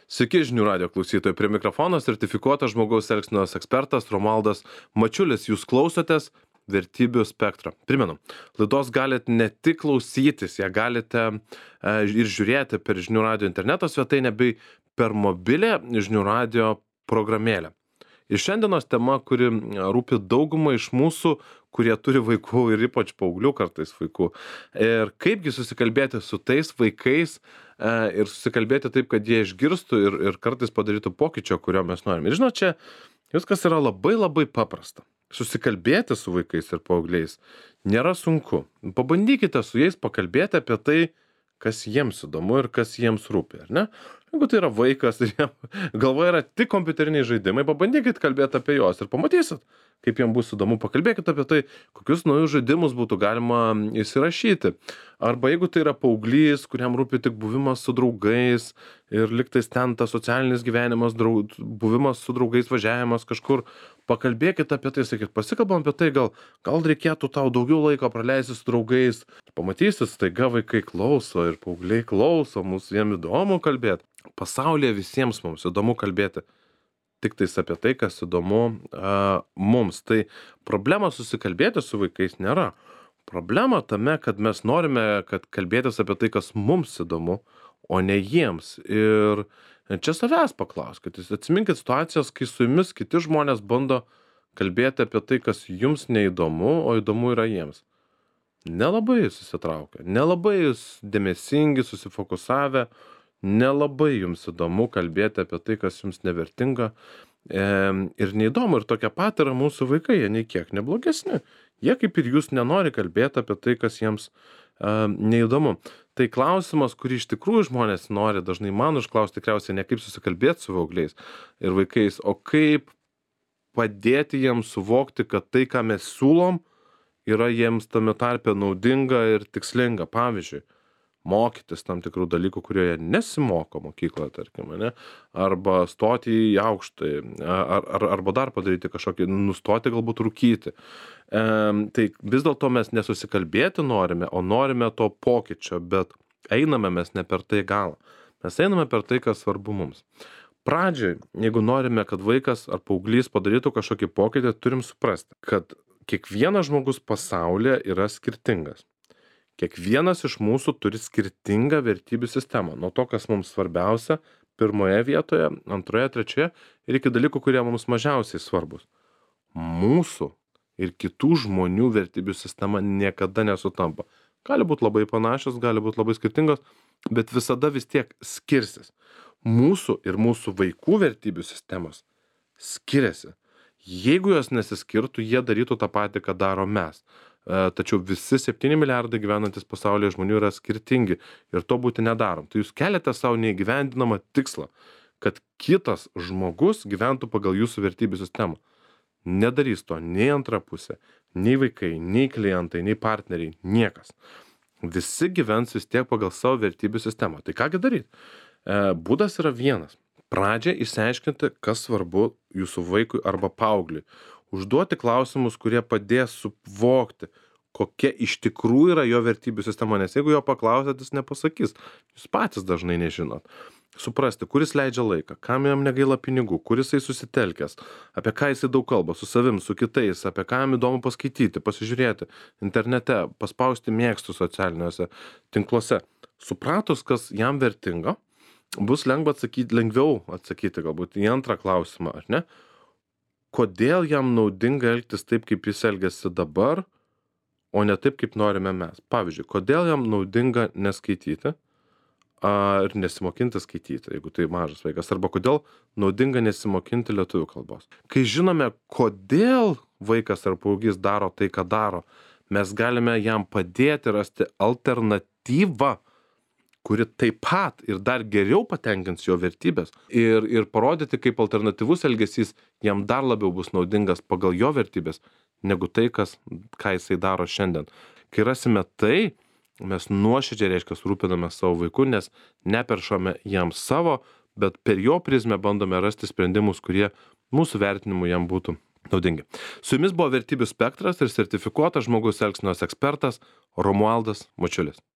Sveiki žinių radijo klausytojai, prie mikrofono sertifikuotas žmogaus elgsenos ekspertas Romualdas Mačiulis. Jūs klausotės Vertybių spektrą. Primenu, laidos galite ne tik klausytis, ją galite ir žiūrėti per žinių radijo interneto svetainę bei per mobilę žinių radijo programėlę. Ir šiandienos tema, kuri rūpi daugumą iš mūsų, kurie turi vaikų ir ypač paauglių kartais vaikų. Ir kaipgi susikalbėti su tais vaikais ir susikalbėti taip, kad jie išgirstų ir kartais padarytų pokyčio, kurio mes norime. Ir žinot, čia viskas yra labai paprasta. Susikalbėti su vaikais ir paaugliais nėra sunku. Pabandykite su jais pakalbėti apie tai, kas jiems įdomu ir kas jiems rūpi, ar ne? Jeigu tai yra vaikas ir jam galvoje yra tik kompiuteriniai žaidimai, pabandykit kalbėti apie juos ir pamatysit, kaip jiems bus įdomu. Pakalbėkit apie tai, kokius naujus žaidimus būtų galima įsirašyti. Arba jeigu tai yra paauglys, kuriam rūpi tik buvimas su draugais ir liktais ten tas socialinis gyvenimas, buvimas su draugais, važiavimas kažkur, pakalbėkit apie tai, sakyt, pasikalbam apie tai, gal reikėtų tau daugiau laiko praleisti su draugais. Pamatysit, staiga vaikai klauso ir paaugliai klauso, mūsų jiem įdomu kalbėti. Pasaulyje visiems mums įdomu kalbėti tik tais apie tai, kas įdomu mums. Tai problema susikalbėti su vaikais nėra. Problema tame, kad mes norime, kad kalbėtis apie tai, kas mums įdomu, o ne jiems. Ir čia savęs paklauskit. Atsiminkit situacijas, kai su jumis kiti žmonės bando kalbėti apie tai, kas jums neįdomu, o įdomu yra jiems. Nelabai susitraukia, nelabai jūs dėmesingi, susifokusavę, nelabai jums įdomu kalbėti apie tai, kas jums nevertinga ir neįdomu. Ir tokia pat yra mūsų vaikai, jie nei kiek neblogesni. Jie kaip ir jūs nenori kalbėti apie tai, kas jiems neįdomu. Tai klausimas, kurį iš tikrųjų žmonės nori dažnai man užklausti, tikriausiai ne kaip susikalbėti su paaugliais ir vaikais, o kaip padėti jiems suvokti, kad tai, ką mes siūlom, yra jiems tame tarpe naudinga ir tikslinga. Pavyzdžiui, mokytis tam tikrų dalykų, kurie jie nesimoko mokykloje, tarkim, ne? Arba stoti į aukštąjį, arba dar padaryti kažkokį, nustoti galbūt rūkyti. Tai vis dėlto mes nesusikalbėti norime, o norime to pokyčio, bet einame mes ne per tai galą. Mes einame per tai, kas svarbu mums. Pradžioj, jeigu norime, kad vaikas ar paauglys padarytų kažkokį pokytį, turim suprasti, kad kiekvienas žmogus pasaulyje yra skirtingas. Kiekvienas iš mūsų turi skirtingą vertybių sistemą. Nuo to, kas mums svarbiausia, pirmoje vietoje, antroje, trečioje ir iki dalykų, kurie mums mažiausiai svarbus. Mūsų ir kitų žmonių vertybių sistema niekada nesutampa. Gali būti labai panašios, gali būti labai skirtingos, bet visada vis tiek skirsis. Mūsų ir mūsų vaikų vertybių sistemos skiriasi. Jeigu jos nesiskirtų, jie darytų tą patį, ką daro mes. Tačiau visi 7 milijardai gyvenantis pasaulyje žmonių yra skirtingi ir to būti nedarom. Tai jūs keliate savo neįgyvendinamą tikslą, kad kitas žmogus gyventų pagal jūsų vertybių sistemą. Nedarys to nei antra pusė, nei vaikai, nei klientai, nei partneriai, niekas. Visi gyvens vis tiek pagal savo vertybių sistemą. Tai kągi daryti? Būdas yra vienas. Pradžią išsiaiškinti, kas svarbu jūsų vaikui arba paaugliui. Užduoti klausimus, kurie padės suvokti, kokia iš tikrųjų yra jo vertybių sistema. Nes jeigu jo paklausėt, jis nepasakys. Jūs patys dažnai nežinot. Suprasti, kuris leidžia laiką, kam jam negaila pinigų, kuris jisai susitelkęs, apie ką jisai daug kalba, su savim, su kitais, apie ką jam įdomu paskaityti, pasižiūrėti internete, paspausti mėgstų socialiniuose tinkluose. Supratus, kas jam vertinga, bus lengviau atsakyti galbūt į antrą klausimą, ar ne? Kodėl jam naudinga elgtis taip, kaip jis elgiasi dabar, o ne taip, kaip norime mes? Pavyzdžiui, kodėl jam naudinga neskaityti ir nesimokinti skaityti, jeigu tai mažas vaikas, arba kodėl naudinga nesimokinti lietuvių kalbos. Kai žinome, kodėl vaikas ar paauglys daro tai, ką daro, mes galime jam padėti rasti alternatyvą, kuri taip pat ir dar geriau patenkins jo vertybės ir parodyti, kaip alternatyvus elgesys jam dar labiau bus naudingas pagal jo vertybės, negu tai, ką jisai daro šiandien. Kai rasime tai, mes nuoširdžiai reiškia rūpiname savo vaiku, nes neperšame jam savo, bet per jo prizmę bandome rasti sprendimus, kurie mūsų vertinimu jam būtų naudingi. Su jumis buvo Vertybių spektras ir sertifikuotas žmogaus elgsenos ekspertas Romualdas Mačiulis.